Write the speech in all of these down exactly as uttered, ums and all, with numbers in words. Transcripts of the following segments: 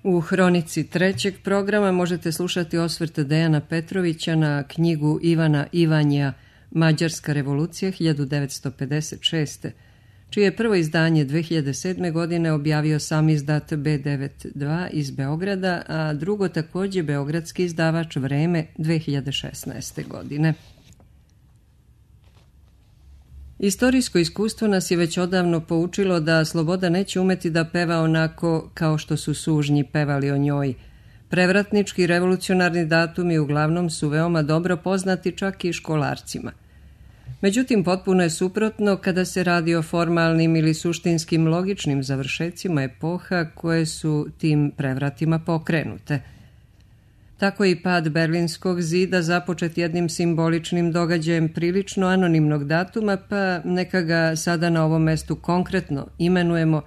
U hronici trećeg programa možete slušati osvrt Dejana Petrovića na knjigu Ivana Ivanja Mađarska revolucija hiljadu devetsto pedeset šeste. čije je prvo izdanje dve hiljade sedme. godine objavio sam izdat be devedeset dva iz Beograda, a drugo također beogradski izdavač Vreme dve hiljade šesnaeste. godine. Istorijsko iskustvo nas je već odavno poučilo da sloboda neće umeti da peva onako kao što su sužnji pevali o njoj. Prevratnički revolucionarni datumi uglavnom su veoma dobro poznati čak i školarcima. Međutim, potpuno je suprotno kada se radi o formalnim ili suštinskim logičnim završecima epoha koje su tim prevratima pokrenute. Tako je i pad Berlinskog zida započet jednim simboličnim događajem prilično anonimnog datuma, pa neka ga sada na ovom mestu konkretno imenujemo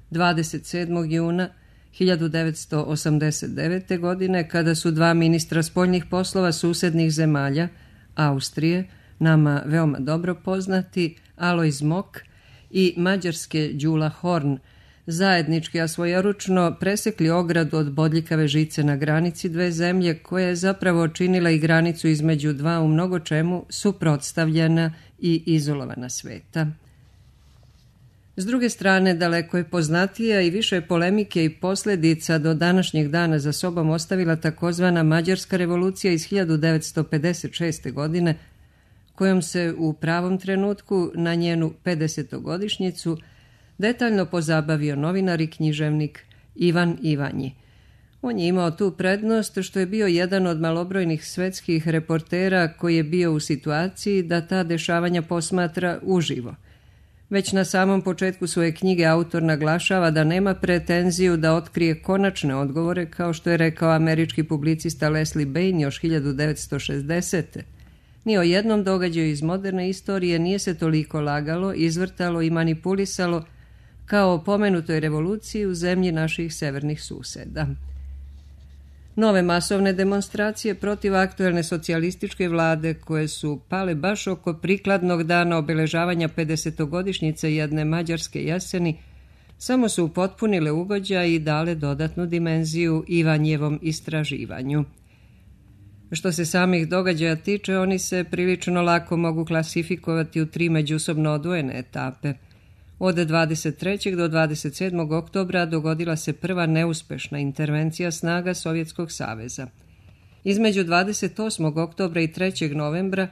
dvadeset sedmog juna hiljadu devetsto osamdeset devete. godine, kada su dva ministra spoljnih poslova susednih zemalja, Austrije, nama veoma dobro poznati, Alojz Mok, i Mađarske Đula Horn, zajednički, a svojeručno presekli ogradu od bodljikave žice na granici dve zemlje, koja je zapravo činila i granicu između dva u mnogo čemu suprotstavljena i izolovana sveta. S druge strane, daleko je poznatija i više polemike i posljedica do današnjeg dana za sobom ostavila takozvana Mađarska revolucija iz hiljadu devetsto pedeset šeste. godine, kojom se u pravom trenutku na njenu pedesetogodišnjicu detaljno pozabavio novinar i književnik Ivan Ivanji. On je imao tu prednost što je bio jedan od malobrojnih svetskih reportera koji je bio u situaciji da ta dešavanja posmatra uživo. Već na samom početku svoje knjige autor naglašava da nema pretenziju da otkrije konačne odgovore, kao što je rekao američki publicista Leslie Bain još hiljadu devetsto šezdesete. Ni o jednom događaju iz moderne istorije nije se toliko lagalo, izvrtalo i manipulisalo kao o pomenutoj revoluciji u zemlji naših severnih suseda. Nove masovne demonstracije protiv aktuelne socijalističke vlade, koje su pale baš oko prikladnog dana obeležavanja pedesetogodišnjice jedne mađarske jeseni, samo su upotpunile ugođaj i dale dodatnu dimenziju Ivanjevom istraživanju. Što se samih događaja tiče, oni se prilično lako mogu klasifikovati u tri međusobno odvojene etape. Od dvadeset trećeg do dvadeset sedmog oktobra dogodila se prva neuspešna intervencija snaga Sovjetskog saveza. Između dvadeset osmog oktobra i trećeg novembra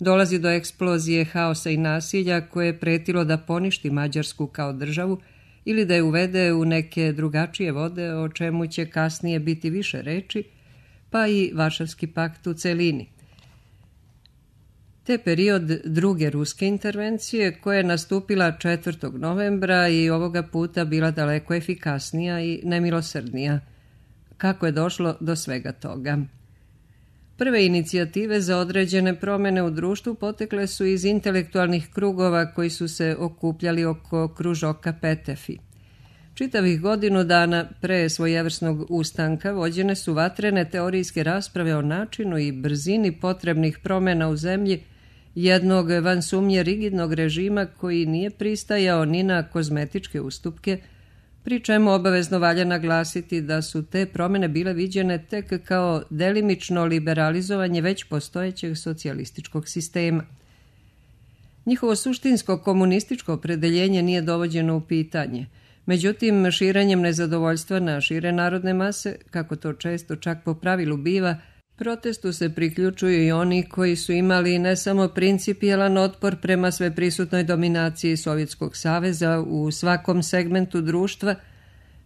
dolazi do eksplozije haosa i nasilja koje je pretilo da poništi Mađarsku kao državu ili da je uvede u neke drugačije vode, o čemu će kasnije biti više reči, pa i Varšavski pakt u celini. Te period druge ruske intervencije, koja je nastupila četvrtog novembra i ovoga puta bila daleko efikasnija i nemilosrdnija. Kako je došlo do svega toga? Prve inicijative za određene promjene u društvu potekle su iz intelektualnih krugova koji su se okupljali oko kružoka Petefi. Čitavih godinu dana pre svojevrsnog ustanka vođene su vatrene teorijske rasprave o načinu i brzini potrebnih promjena u zemlji jednog van sumnje rigidnog režima koji nije pristajao ni na kozmetičke ustupke, pri čemu obavezno valja naglasiti da su te promjene bile viđene tek kao delimično liberalizovanje već postojećeg socijalističkog sistema. Njihovo suštinsko komunističko opredeljenje nije dovođeno u pitanje. Međutim, širenjem nezadovoljstva na šire narodne mase, kako to često čak po pravilu biva, protestu se priključuju i oni koji su imali ne samo principijelan otpor prema sveprisutnoj dominaciji Sovjetskog saveza u svakom segmentu društva,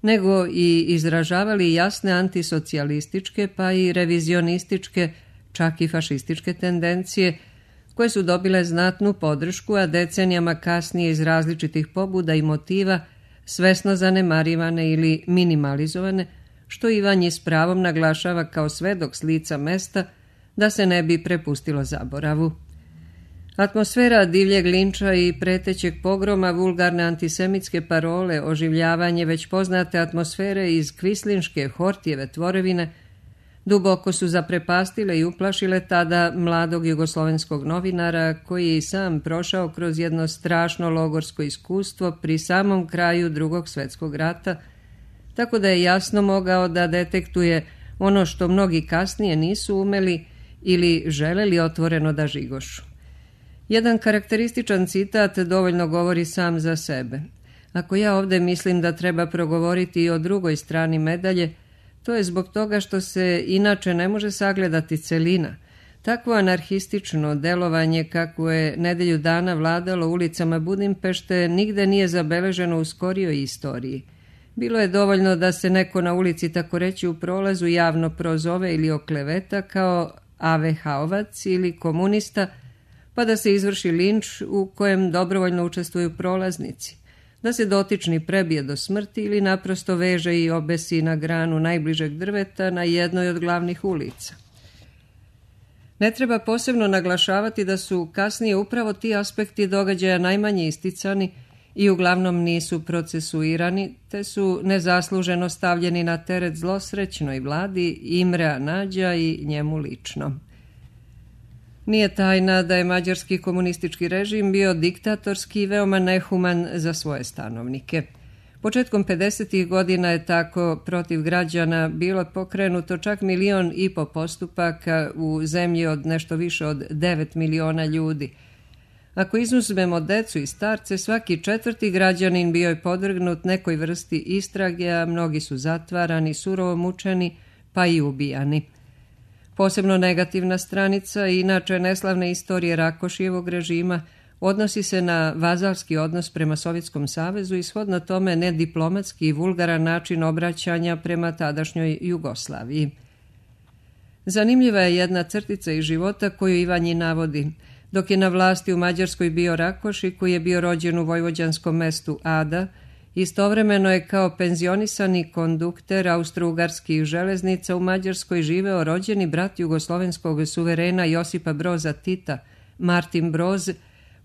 nego i izražavali jasne antisocijalističke pa i revizionističke, čak i fašističke tendencije, koje su dobile znatnu podršku, a decenijama kasnije iz različitih pobuda i motiva svesno zanemarivane ili minimalizovane, što Ivanji s pravom naglašava kao svedok s lica mesta da se ne bi prepustilo zaboravu. Atmosfera divljeg linča i pretećeg pogroma, vulgarne antisemitske parole, oživljavanje već poznate atmosfere iz kvislinške Hortijeve tvorevine duboko su zaprepastile i uplašile tada mladog jugoslovenskog novinara koji je i sam prošao kroz jedno strašno logorsko iskustvo pri samom kraju Drugog svjetskog rata, tako da je jasno mogao da detektuje ono što mnogi kasnije nisu umeli ili želeli otvoreno da žigošu. Jedan karakterističan citat dovoljno govori sam za sebe. Ako ja ovdje mislim da treba progovoriti i o drugoj strani medalje, to je zbog toga što se inače ne može sagledati celina. Takvo anarhistično delovanje kakvo je nedelju dana vladalo ulicama Budimpešte nigde nije zabeleženo u skorijoj istoriji. Bilo je dovoljno da se neko na ulici, tako reći u prolazu, javno prozove ili okleveta kao avehaovac ili komunista, pa da se izvrši linč u kojem dobrovoljno učestvuju prolaznici, da se dotični prebije do smrti ili naprosto veže i obesi na granu najbližeg drveta na jednoj od glavnih ulica. Ne treba posebno naglašavati da su kasnije upravo ti aspekti događaja najmanje isticani i uglavnom nisu procesuirani, te su nezasluženo stavljeni na teret zlosrećnoj vladi Imrea Nađa i njemu lično. Nije tajna da je mađarski komunistički režim bio diktatorski i veoma nehuman za svoje stanovnike. Početkom pedesetih godina je tako protiv građana bilo pokrenuto čak milion i po postupaka u zemlji od nešto više od devet miliona ljudi. Ako izuzmemo decu i starce, svaki četvrti građanin bio je podvrgnut nekoj vrsti istrage, a mnogi su zatvarani, surovo mučeni, pa i ubijani. Posebno negativna stranica, inače neslavne istorije Rakošijevog režima, odnosi se na vazalski odnos prema Sovjetskom savezu i shodno tome nediplomatski i vulgaran način obraćanja prema tadašnjoj Jugoslaviji. Zanimljiva je jedna crtica iz života koju Ivanji navodi. Dok je na vlasti u Mađarskoj bio Rakoši, koji je bio rođen u vojvođanskom mestu Ada, istovremeno je kao penzionisani kondukter austro-ugarskih železnica u Mađarskoj živeo rođeni brat jugoslovenskog suverena Josipa Broza Tita, Martin Broz,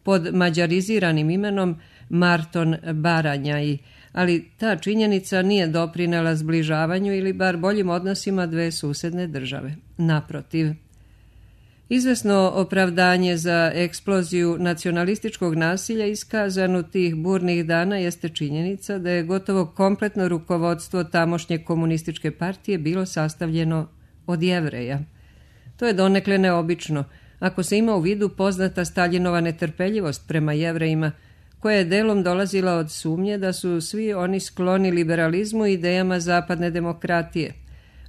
pod mađariziranim imenom Marton Baranjaj, ali ta činjenica nije doprinela zbližavanju ili bar boljim odnosima dve susedne države. Naprotiv. Izvesno opravdanje za eksploziju nacionalističkog nasilja iskazano tih burnih dana jeste činjenica da je gotovo kompletno rukovodstvo tamošnje komunističke partije bilo sastavljeno od Jevreja. To je donekle neobično, ako se ima u vidu poznata Staljinova netrpeljivost prema Jevrejima, koja je delom dolazila od sumnje da su svi oni skloni liberalizmu i idejama zapadne demokratije,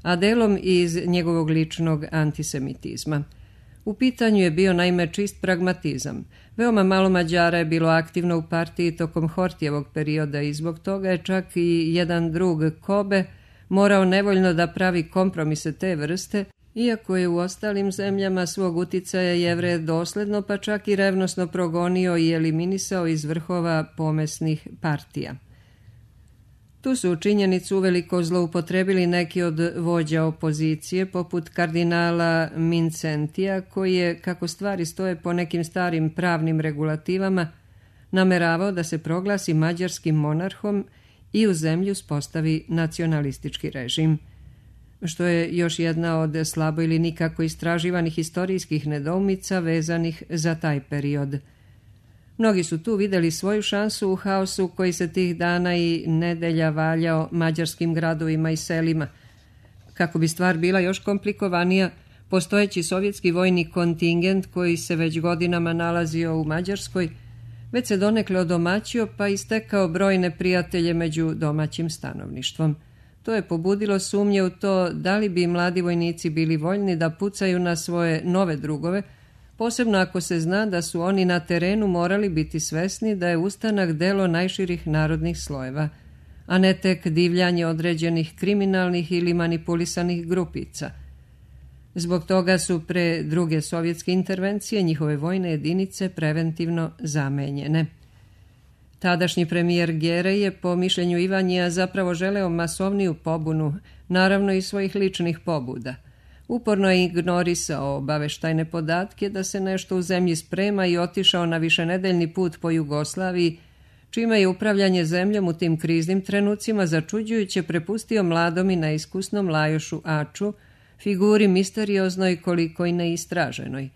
a delom iz njegovog ličnog antisemitizma. U pitanju je bio naime čist pragmatizam. Veoma malo Mađara je bilo aktivno u partiji tokom Hortijevog perioda i zbog toga je čak i jedan drug Kobe morao nevoljno da pravi kompromise te vrste, iako je u ostalim zemljama svog uticaja Jevreje dosledno pa čak i revnosno progonio i eliminisao iz vrhova pomesnih partija. Tu su činjenicu uveliko zloupotrebili neki od vođa opozicije, poput kardinala Mincentija, koji je, kako stvari stoje po nekim starim pravnim regulativama, nameravao da se proglasi mađarskim monarhom i u zemlju spostavi nacionalistički režim, što je još jedna od slabo ili nikako istraživanih historijskih nedoumica vezanih za taj period. Mnogi su tu vidjeli svoju šansu u haosu koji se tih dana i nedelja valjao mađarskim gradovima i selima. Kako bi stvar bila još komplikovanija, postojeći sovjetski vojni kontingent koji se već godinama nalazio u Mađarskoj, već se donekle odomaćio pa istekao brojne prijatelje među domaćim stanovništvom. To je pobudilo sumnje u to da li bi mladi vojnici bili voljni da pucaju na svoje nove drugove, posebno ako se zna da su oni na terenu morali biti svesni da je ustanak delo najširih narodnih slojeva, a ne tek divljanje određenih kriminalnih ili manipulisanih grupica. Zbog toga su pre druge sovjetske intervencije njihove vojne jedinice preventivno zamenjene. Tadašnji premijer Gerej je po mišljenju Ivanjija zapravo želeo masovniju pobunu, naravno i svojih ličnih pobuda. Uporno je ignorisao obaveštajne podatke da se nešto u zemlji sprema i otišao na višenedeljni put po Jugoslaviji, čime je upravljanje zemljom u tim kriznim trenucima začuđujuće prepustio mladom i neiskusnom Lajošu Aču, figuri misterioznoj koliko i neistraženoj.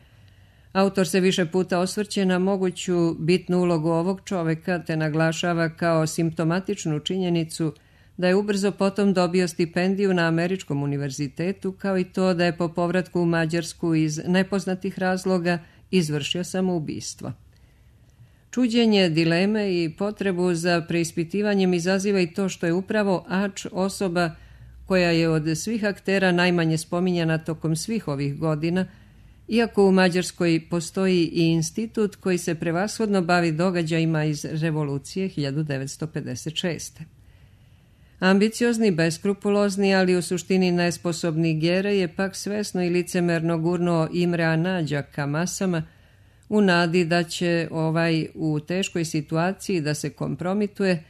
Autor se više puta osvrće na moguću bitnu ulogu ovog čoveka te naglašava kao simptomatičnu činjenicu da je ubrzo potom dobio stipendiju na Američkom univerzitetu, kao i to da je po povratku u Mađarsku iz nepoznatih razloga izvršio samoubistvo. Čuđenje, dileme i potrebu za preispitivanjem izaziva i to što je upravo Ač osoba koja je od svih aktera najmanje spominjana tokom svih ovih godina, iako u Mađarskoj postoji i institut koji se prevashodno bavi događajima iz revolucije hiljadu devetsto pedeset šeste. Ambiciozni, beskrupulozni, ali u suštini nesposobni Gere je pak svesno i licemerno gurnuo Imrea Nađa ka masama u nadi da će ovaj u teškoj situaciji da se kompromituje,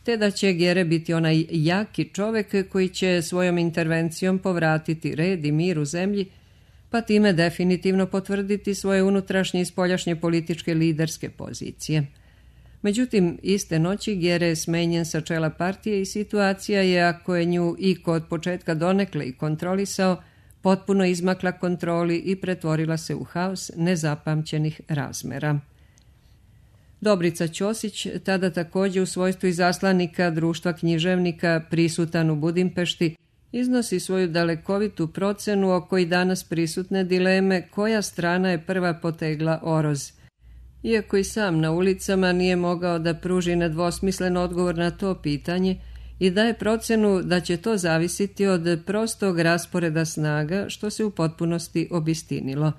te da će Gere biti onaj jaki čovek koji će svojom intervencijom povratiti red i mir u zemlji, pa time definitivno potvrditi svoje unutrašnje i spoljašnje političke liderske pozicije. Međutim, iste noći Gere je smenjen sa čela partije i situacija je, ako je nju iko od početka donekle i kontrolisao, potpuno izmakla kontroli i pretvorila se u haos nezapamćenih razmera. Dobrica Ćosić, tada također u svojstvu izaslanika društva književnika prisutan u Budimpešti, iznosi svoju dalekovitu procenu oko i danas prisutne dileme koja strana je prva potegla oroz. Iako i sam na ulicama nije mogao da pruži nedvosmislen odgovor na to pitanje i daje procenu da će to zavisiti od prostog rasporeda snaga, što se u potpunosti obistinilo.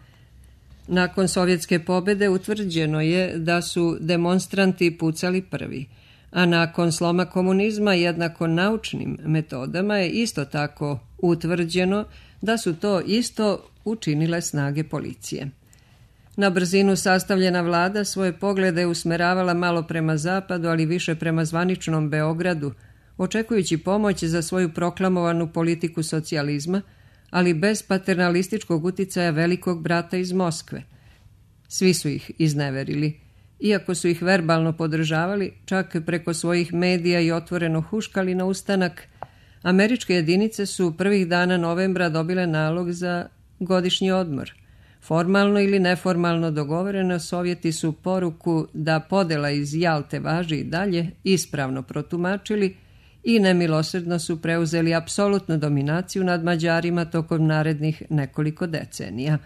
Nakon sovjetske pobjede utvrđeno je da su demonstranti pucali prvi, a nakon sloma komunizma jednako naučnim metodama je isto tako utvrđeno da su to isto učinile snage policije. Na brzinu sastavljena vlada svoje poglede usmeravala malo prema zapadu, ali više prema zvaničnom Beogradu, očekujući pomoć za svoju proklamovanu politiku socijalizma, ali bez paternalističkog uticaja velikog brata iz Moskve. Svi su ih izneverili. Iako su ih verbalno podržavali, čak preko svojih medija i otvoreno huškali na ustanak, američke jedinice su prvih dana novembra dobile nalog za godišnji odmor. Formalno ili neformalno dogovoreno, Sovjeti su poruku da podela iz Jalte važi i dalje ispravno protumačili i nemilosrdno su preuzeli apsolutnu dominaciju nad Mađarima tokom narednih nekoliko decenija.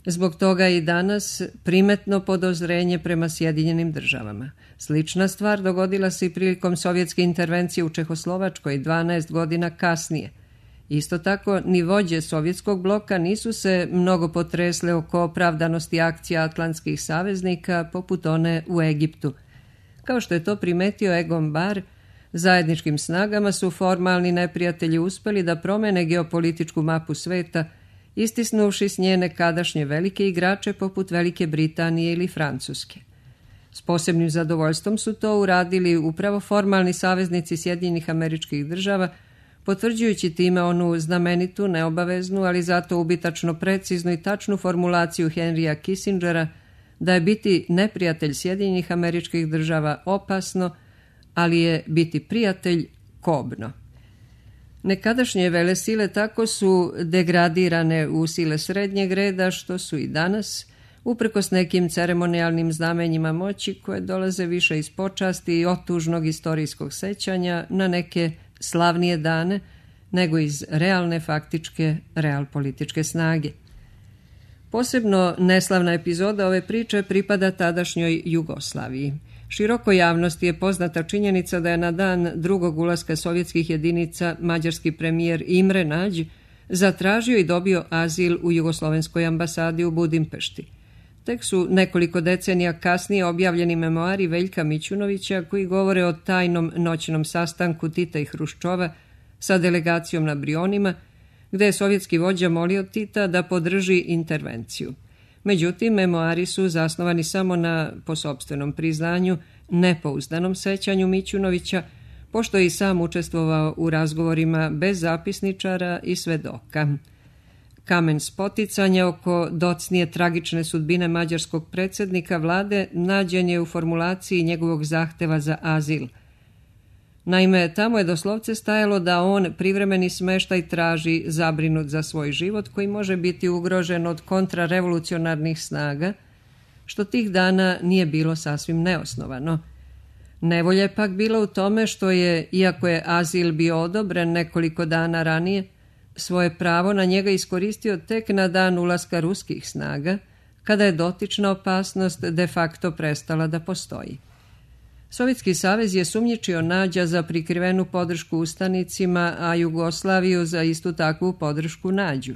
Zbog toga je i danas primetno podozrenje prema Sjedinjenim državama. Slična stvar dogodila se i prilikom sovjetske intervencije u Čehoslovačkoj dvanaest godina kasnije. Isto tako, ni vođe sovjetskog bloka nisu se mnogo potresle oko opravdanosti akcija atlantskih saveznika poput one u Egiptu. Kao što je to primetio Egon Bahr, zajedničkim snagama su formalni neprijatelji uspeli da promene geopolitičku mapu sveta, istisnuvši s nje nekadašnje velike igrače poput Velike Britanije ili Francuske. S posebnim zadovoljstvom su to uradili upravo formalni saveznici Sjedinjenih Američkih Država, potvrđujući time onu znamenitu, neobaveznu, ali zato ubitačno preciznu i tačnu formulaciju Henrya Kissingera da je biti neprijatelj Sjedinjenih Američkih Država opasno, ali je biti prijatelj kobno. Nekadašnje velesile tako su degradirane u sile srednjeg reda, što su i danas, uprkos nekim ceremonijalnim znamenjima moći koje dolaze više iz počasti i otužnog istorijskog sećanja na neke slavnije dane, nego iz realne faktičke realpolitičke snage. Posebno neslavna epizoda ove priče pripada tadašnjoj Jugoslaviji. Širokoj javnosti je poznata činjenica da je na dan drugog ulaska sovjetskih jedinica mađarski premijer Imre Nađ zatražio i dobio azil u jugoslovenskoj ambasadi u Budimpešti. Tek su nekoliko decenija kasnije objavljeni memoari Veljka Mićunovića koji govore o tajnom noćnom sastanku Tita i Hruščova sa delegacijom na Brionima, gde je sovjetski vođa molio Tita da podrži intervenciju. Međutim, memoari su zasnovani samo na, po sopstvenom priznanju, nepouzdanom sećanju Mićunovića, pošto je i sam učestvovao u razgovorima bez zapisničara i svedoka. Kamen spoticanja oko docnije tragične sudbine mađarskog predsjednika vlade nađen je u formulaciji njegovog zahteva za azil. Naime, tamo je doslovce stajalo da on privremeni smeštaj traži zabrinut za svoj život koji može biti ugrožen od kontrarevolucionarnih snaga, što tih dana nije bilo sasvim neosnovano. Nevolja je pak bila u tome što je, iako je azil bio odobren nekoliko dana ranije, svoje pravo na njega iskoristio tek na dan ulaska ruskih snaga, kada je dotična opasnost de facto prestala da postoji. Sovjetski savez je sumnjičio Nađa za prikrivenu podršku ustanicima, a Jugoslaviju za istu takvu podršku Nađu.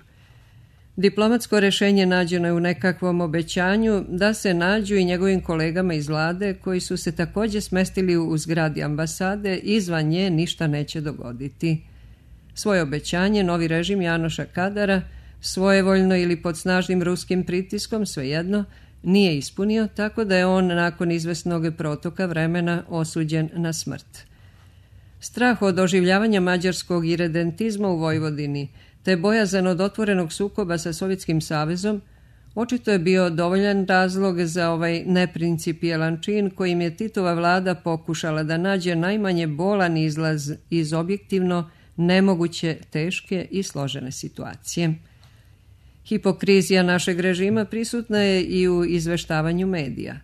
Diplomatsko rešenje nađeno je u nekakvom obećanju da se Nađu i njegovim kolegama iz vlade, koji su se također smestili u zgradi ambasade, izvan nje ništa neće dogoditi. Svoje obećanje novi režim Janoša Kadara, svojevoljno ili pod snažnim ruskim pritiskom, svejedno, nije ispunio, tako da je on nakon izvesnog protoka vremena osuđen na smrt. Strah od oživljavanja mađarskog iredentizma u Vojvodini, te bojazan od otvorenog sukoba sa Sovjetskim savezom, očito je bio dovoljan razlog za ovaj neprincipijelan čin kojim je Titova vlada pokušala da nađe najmanje bolan izlaz iz objektivno nemoguće teške i složene situacije. Hipokrizija našeg režima prisutna je i u izveštavanju medija.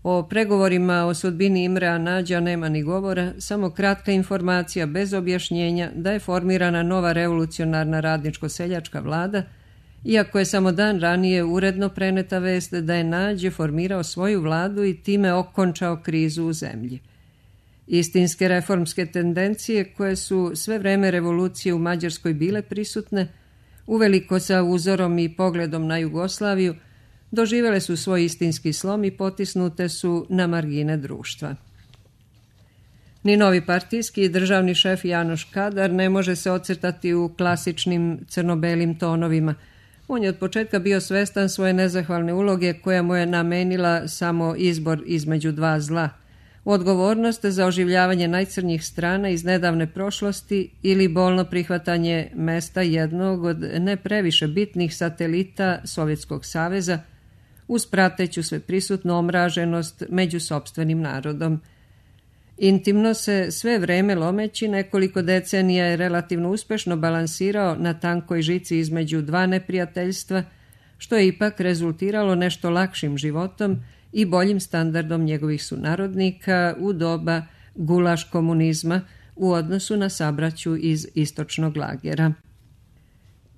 O pregovorima o sudbini Imrea Nađa nema ni govora, samo kratka informacija bez objašnjenja da je formirana nova revolucionarna radničko-seljačka vlada, iako je samo dan ranije uredno preneta vest da je Nađe formirao svoju vladu i time okončao krizu u zemlji. Istinske reformske tendencije, koje su sve vreme revolucije u Mađarskoj bile prisutne, uveliko sa uzorom i pogledom na Jugoslaviju, doživjele su svoj istinski slom i potisnute su na margine društva. Ni novi partijski i državni šef Janoš Kadar ne može se ocrtati u klasičnim crno-belim tonovima. On je od početka bio svestan svoje nezahvalne uloge koja mu je namenila samo izbor između dva zla. Odgovornost za oživljavanje najcrnjih strana iz nedavne prošlosti ili bolno prihvatanje mesta jednog od ne previše bitnih satelita Sovjetskog saveza uz prateću sveprisutnu omraženost među sopstvenim narodom. Intimno se sve vreme lomeći nekoliko decenija je relativno uspešno balansirao na tankoj žici između dva neprijateljstva, što je ipak rezultiralo nešto lakšim životom i boljim standardom njegovih sunarodnika u doba gulaš komunizma u odnosu na sabraću iz istočnog lagera.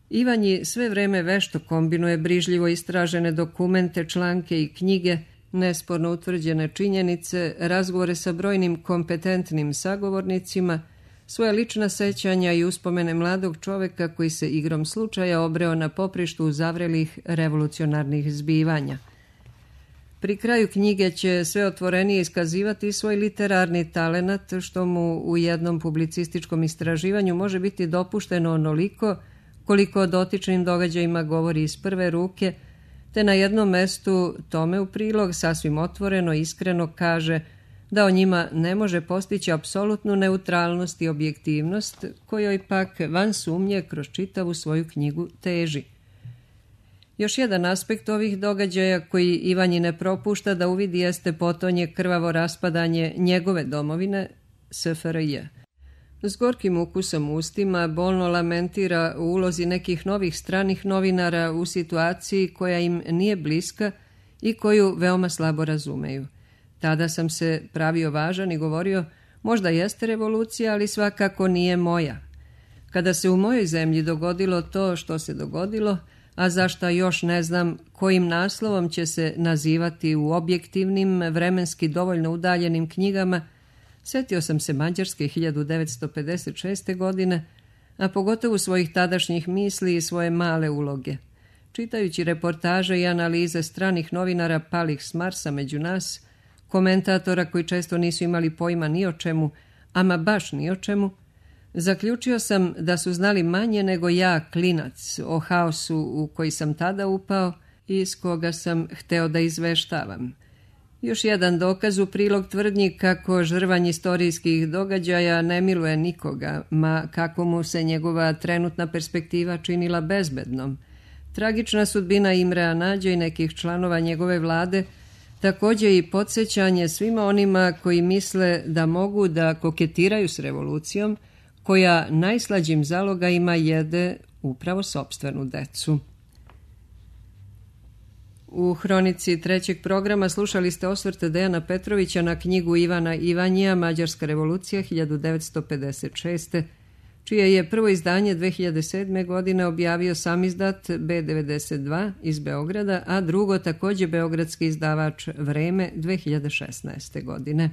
Ivanji sve vreme vešto kombinuje brižljivo istražene dokumente, članke i knjige, nesporno utvrđene činjenice, razgovore sa brojnim kompetentnim sagovornicima, svoja lična sećanja i uspomene mladog čoveka koji se igrom slučaja obreo na poprištu uzavrelih revolucionarnih zbivanja. Pri kraju knjige će sve otvorenije iskazivati svoj literarni talenat, što mu u jednom publicističkom istraživanju može biti dopušteno onoliko koliko o dotičnim događajima govori iz prve ruke, te na jednom mestu tome u prilog sasvim otvoreno i iskreno kaže da o njima ne može postići apsolutnu neutralnost i objektivnost, kojoj pak van sumnje kroz čitavu svoju knjigu teži. Još jedan aspekt ovih događaja koji Ivanji ne propušta da uvidi jeste potonje krvavo raspadanje njegove domovine, S F R J. S gorkim ukusom u ustima bolno lamentira u ulozi nekih novih stranih novinara u situaciji koja im nije bliska i koju veoma slabo razumeju. Tada sam se pravio važan i govorio, možda jeste revolucija, ali svakako nije moja. Kada se u mojoj zemlji dogodilo to što se dogodilo, a zašta još ne znam kojim naslovom će se nazivati u objektivnim, vremenski dovoljno udaljenim knjigama, sjetio sam se Mađarske hiljadu devetsto pedeset šeste. godine, a pogotovo svojih tadašnjih misli i svoje male uloge. Čitajući reportaže i analize stranih novinara palih s Marsa među nas, komentatora koji često nisu imali pojma ni o čemu, ama baš ni o čemu, zaključio sam da su znali manje nego ja, klinac, o haosu u koji sam tada upao i iz koga sam hteo da izveštavam. Još jedan dokaz u prilog tvrdnji kako žrvanj istorijskih događaja ne miluje nikoga, ma kako mu se njegova trenutna perspektiva činila bezbednom. Tragična sudbina Imrea Nađa i nekih članova njegove vlade također i podsjećanje svima onima koji misle da mogu da koketiraju s revolucijom, koja najslađim zalogajima jede upravo sopstvenu decu. U hronici trećeg programa slušali ste osvrte Dejana Petrovića na knjigu Ivana Ivanjija Mađarska revolucija hiljadu devetsto pedeset šeste. čije je prvo izdanje dve hiljade sedme. godine objavio samizdat be devedeset dva iz Beograda, a drugo također beogradski izdavač Vreme dve hiljade šesnaeste. godine.